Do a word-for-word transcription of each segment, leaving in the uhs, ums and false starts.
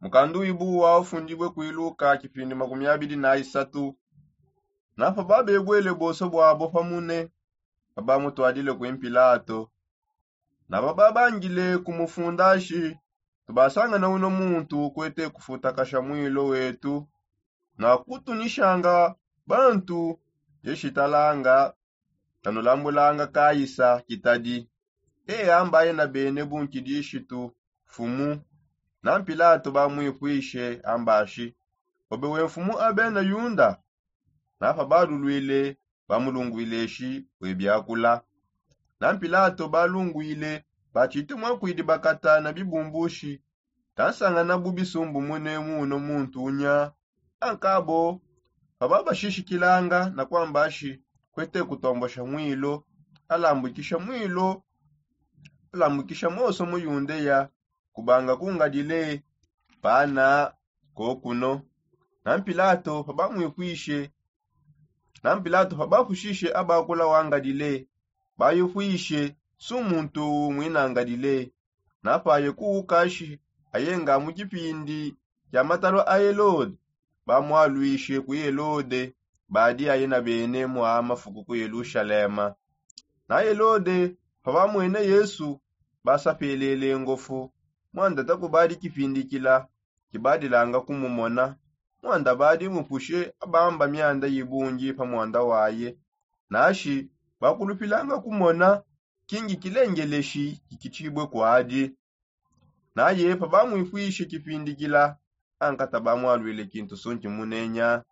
Mukandu wibu wa ufundibue kuiluka kipindi makumi abidi na isatu. Napa babebwele boso bwabo pamune, pabamutwadile kui mpilato. Napa babangile kumufundashi, tubasangana uno muntu kwete kufutakasha mwilo wetu na kutunishanga bantu. Yeshitalanga, tanulambulanga kaisa kitadi, e ambaye na bene bunkidishitu fumu. Na mpilato bamwipwishe ambashi, obe we mfumu abena yunda? Napa balulwile, bamulungwileshi we biakula. Na mpilato balungwile, batshite mwakwidi bakata na bibumbushi, tansangana bu bisumbu mune mu uno muntu unya. Ankabo, pababashishikilanga na kwambashi, kwete kutombosha mwilo, alambukisha mwilo, alambukisha moso mu yundeya, kubanga kungadile bana kokuno. Na mpilato pabamwipwishe na mpilato pabapushishe abakula wangadile, bayipwishe su muntu uwu mwinangadile. Napaye kuukashi ayenga mu kipindi kya matalo a helode, bamwalwishe kui helode, badi aye na bene mwa mafuku ku yelushalema. Na helode pabamwene yesu, basapelele ngofu, mwanda takubadikipindikila kibadilanga kumumona. Mwanda badi mupushe abamba myanda yibungi pa mwanda waye, nashi bakulupilanga kumona kingi kilengeleshi kikitshibue kwadi. Naye pabamwipwishe kipindikila, ankata bamwalwile kintu sunki munenya.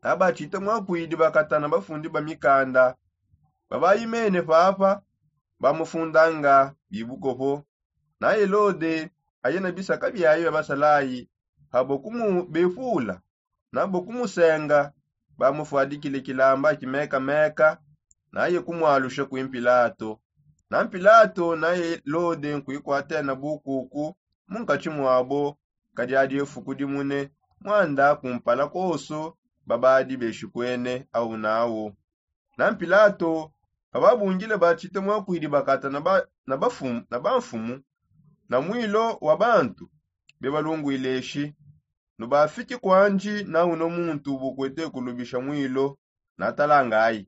Nabatshite mwakwidi bakatana bafundi ba mikanda, babayimene papa, bamufundanga bibukopo. Na helode aye na bisaka biaye bia basalayi, pabo kumubepula nabo kumusenga, bamufwadikile kilamba kimekameka, naye kumwalusha kui mpilato. Na mpilato na helode nkuikwatena bukuku mu nkatshi mwabo, kadi adi efuku dimune, mwanda kumpala koso babadi beshikwene awu nawu. Na mpilato pababungile batshite mwakwidi bakata na bamfumu na mwilo wa bantu, bebalungwileshi, nubafiki kwandi na uno muntu bukwete kulubisha mwilo. Natalangayi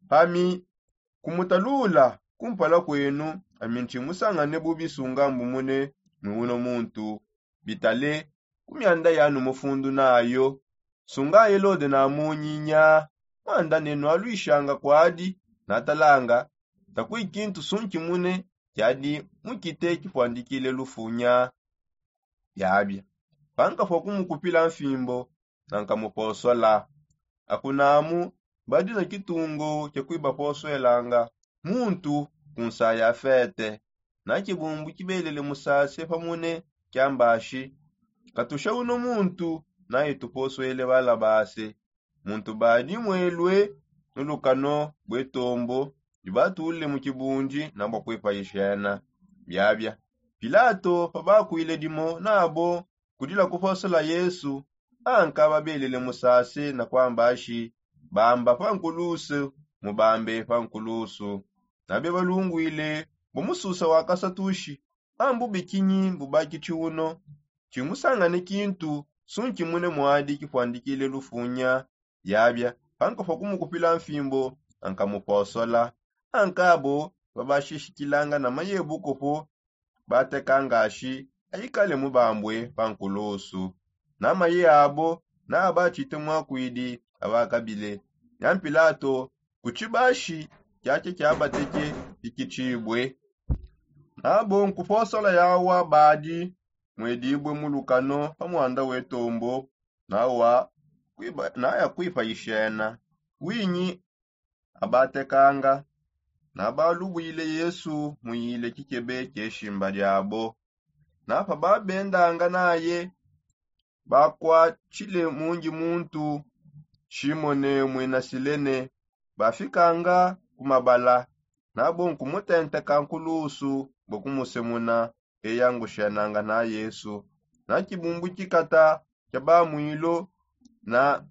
pami kumutalula kumpala kwenu, ami ntshimusangane bubi sunga mbumune ni uno muntu. Bitale ku myanda yanu mufundu nayo, sunga helode namunyinya. Mwanda ne nwalwishanga kwadi, natalanga takui kintu sunkimune kiadi mukite kipwandikile lufunya. Biabia pankafua kumukupila mfimbo, nankamuposola. Akunamu badi na kitungo kia kuibaposoelanga muntu ku nsa ya fete. Na kibumbu kibelele musase pamune kiambashi, katusha uno muntu, naye tuposoele balabase. Muntu badi mwelue nulukano bue tombo, dibatule mu kibundi na bua kuipayishena. Biabia pilato pabakwile dimo nabo kudila kuposola yesu, anka babelele musase na kwambashi, bamba pa nkulusu, mubambe pa nkulusu. Nabe balungwile bu mususa wa kasatushi, ambu bikinyi mbubakitshi uno? Tshimusangane kintu sunkimune mwadi kipwandikile lufunya. Yabia pankafua kumukupila mfimbo, ankamuposola. Ankabo babashishikilanga na mayebukopo, batekangashi aikale mubambue pa nkulusu. Na maye abo na abatshite mwakwidi abakabile. Na mpilato kutshibashi kiakia kiabateke pikitshibue. Nabo nkuposola yawa badi mwedibue mulukano pa mwanda wetombo, nawa naya kuipayishena. Winyi abatekanga, nabalubwile yesu muyile kikebe kieshimba diabo. Na pababendanga naye, bakwatshile mungi muntu, shimone muina silene, bafikanga ku mabala, nabo nkumutenteka nkulusu bua kumusemuna. Eya ngushenanga na yesu. Na kibumbu kikata kia bamwilo na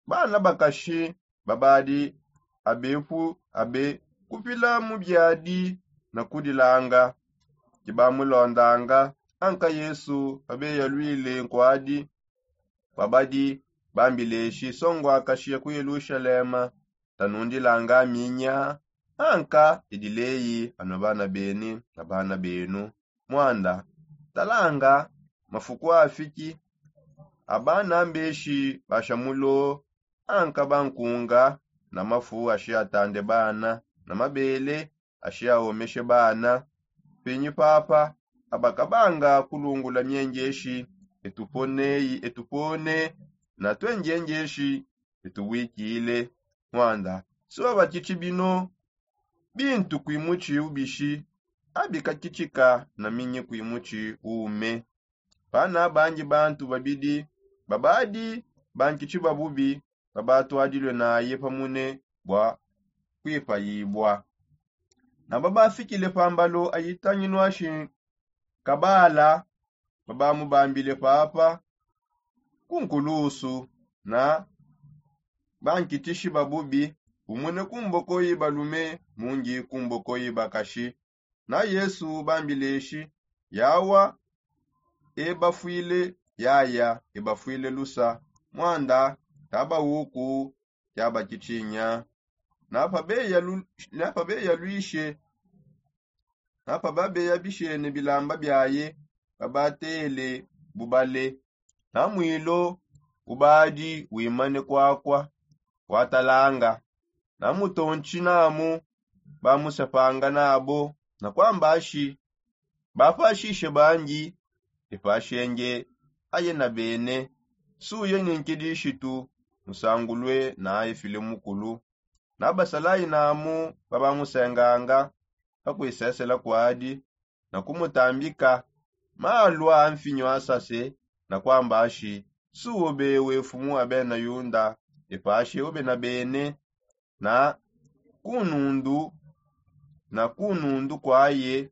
bana bakashi babadi abepu abe kupila mu biadi na kudilanga, kibamulondanga. Anka yesu pabeyalwile nkwadi pabadi bambileshi songwakashiya ku yelushalema, tanundilanga minya. Anka idileyi ano bana beni na bana benu. Mwanda talanga mafuku afiki abana mbeshi bashamulo. Anka bankunga na mafu ashiatande bana na mabele ashiaomeshe bana. Pinyi papa abakabanga kulungula mienjeshi etuponeyi etupone na twenjenjeshi etuwikile. Mwanda suwa batiti bino bintu kwimuti ubishi abikakitika na minyi kwimuti ume. Pana banji bantu babidi babadi bankiti babubi babatwadilwe naye pamune bwa kwipayibwa. Na babafikile pambalo ayitanginwashi kabala babamubambile papa kunkulusu na bankitishi babubi, umune kumboko yibalume mungi kumboko yibakashi. Na yesu bambileshi yawa ebafwile yaya ebafwile lusa. Mwanda tabawuku tabakitinya. Napabeyalwishe napababeyabishene bilamba byaye babatele bubale. Na mwilo ubadi wimane kwakwa watalanga na mutonchi namu bamusepanga nabo na kwambashi bapashishe banji epashenge aye na bene. Suye ni nkidishitu musangulwe na efile mukulu. Na basalayi namu babamusenganga pakwisesela kwadi na kumutambika malwa a mfinyo asase na kwamba ashi suwo bewe fumu abena yunda epashi ube na bene. Na kunundu na kunundu kwaye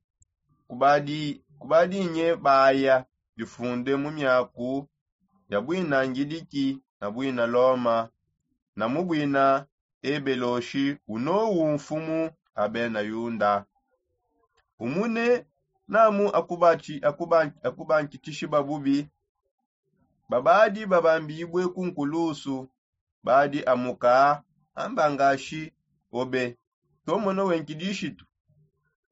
kubadi kubadinye baya bifunde mu myaku ya bwina ngidiki na bwina loma na mu bwina ebeloshi unowu mfumu abena yunda. Umune namu akubankitishi babubi babadi babambibwe ku nkulusu badi amuka amba ngashi obe tomono wenkidishitu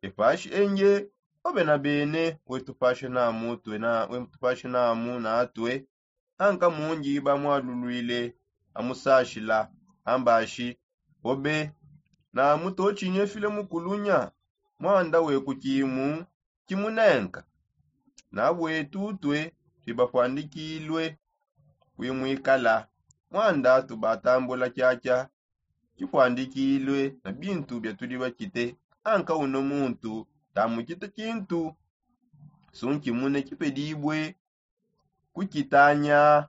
epashi enje obe na bene wetupashe namu twe na wetupashe namu natwe. Anka munji bamwalulwile amusashila ambashi obe namu tochinye file mukulunya mwanda wekukimu kimunenka. Na bwetu twe twibapwandikilwe kwimwikala mwanda tubatambula kyakya kipwandikilwe na bintu byatudi bakite. Anka uno muntu tamukite kintu sunkimune kipedibwe kukitanya.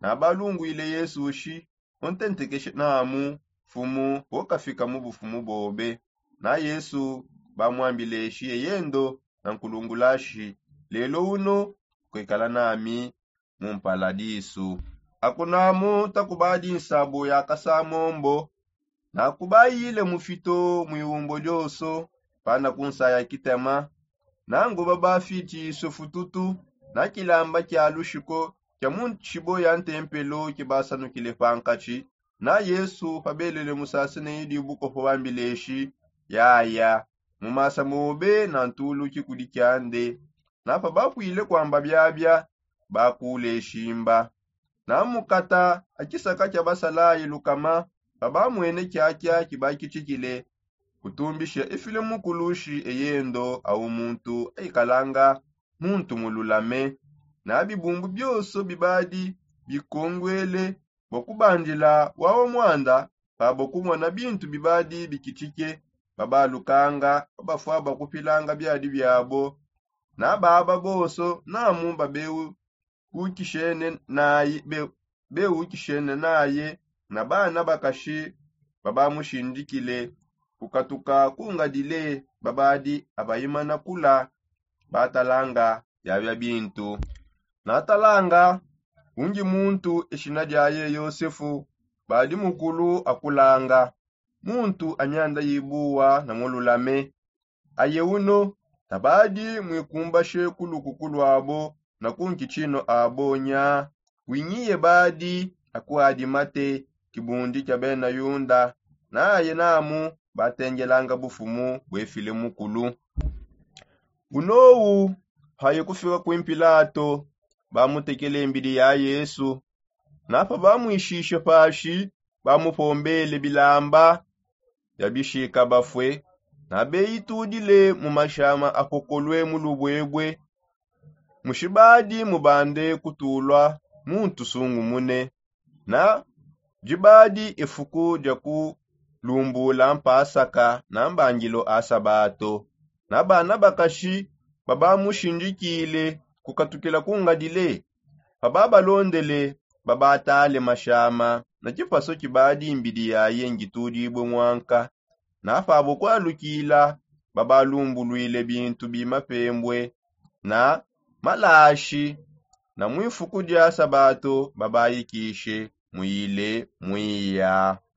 Na balungwile yesu shi untentekeshe namu fumu wokafika mu bufumu bobe. Na yesu bamwambileshi eyendo na nkulungulashi lelo uno kwikala nami mu mpaladisu. Akunamu takubadi nsabu ya kasamombo nakubayile mufito mwiwumbo dioso pana kunsaya kitema. Nangu babafiti sufututu na kilamba kya lushiko kya mu nshibo ya ntempelo kibasanukile pankatshi. Na yesu pabelele musasene idi bukopo bambileshi yaya mu masa mobe na ntuluki kudi kyande. Na pabapwile kwamba byabya bakuleshimba na mukata akisaka kya basalayi lukama. Pabamwene kyakya kibakitikile kutumbisha efile mukulushi eyendo awu muntu aikalanga muntu mululame. Na bibumbu bioso bibadi bikongwele bua kubandila wawa mwanda pabua kumona bintu bibadi bikitike babalukanga babafua bakupilanga biadi biabo. Na baba bonso namu babeu ukishene naye be- bewukishene naye na bana bakashi babamushindikile kukatuka kungadile babadi abayimana kula batalanga byabya bintu. Natalanga unji muntu eshina dyaye yosefu badi mukulu akulanga muntu anyanda yibuwa na mululame. Aye uno Tabadi mwikumbashe ku lukuku lwabo na ku nkitshino abo nya. Winyiye badi akuadimate kibundi kia bena yunda, naye namu batengelanga bufumu bwefile mukulu. Bunowu haye kufika kwi mpilato, bamutekele mbidi ya yesu. Napa bamwishishe pashi, bamupombele bilamba bia bishika bafue, na beyitudile mu mashama akokolue mu lubwebwe. Mushibadi mubande kutulua muntu sungumune. Na dibadi efuku dia kulumbula mpasaka na mbangilo a sabato. Na bana bakashi babamushindikile kukatukila ku ngadile. Pababalondele, babatale mashama na kipaso kibadi mbidi yaye ngitudibue mwanka. Na pabo kualukila, babalumbulwile bintu bi mapembue na malashi. Na mwifuku dia sabato babayikishe muyile mwiya.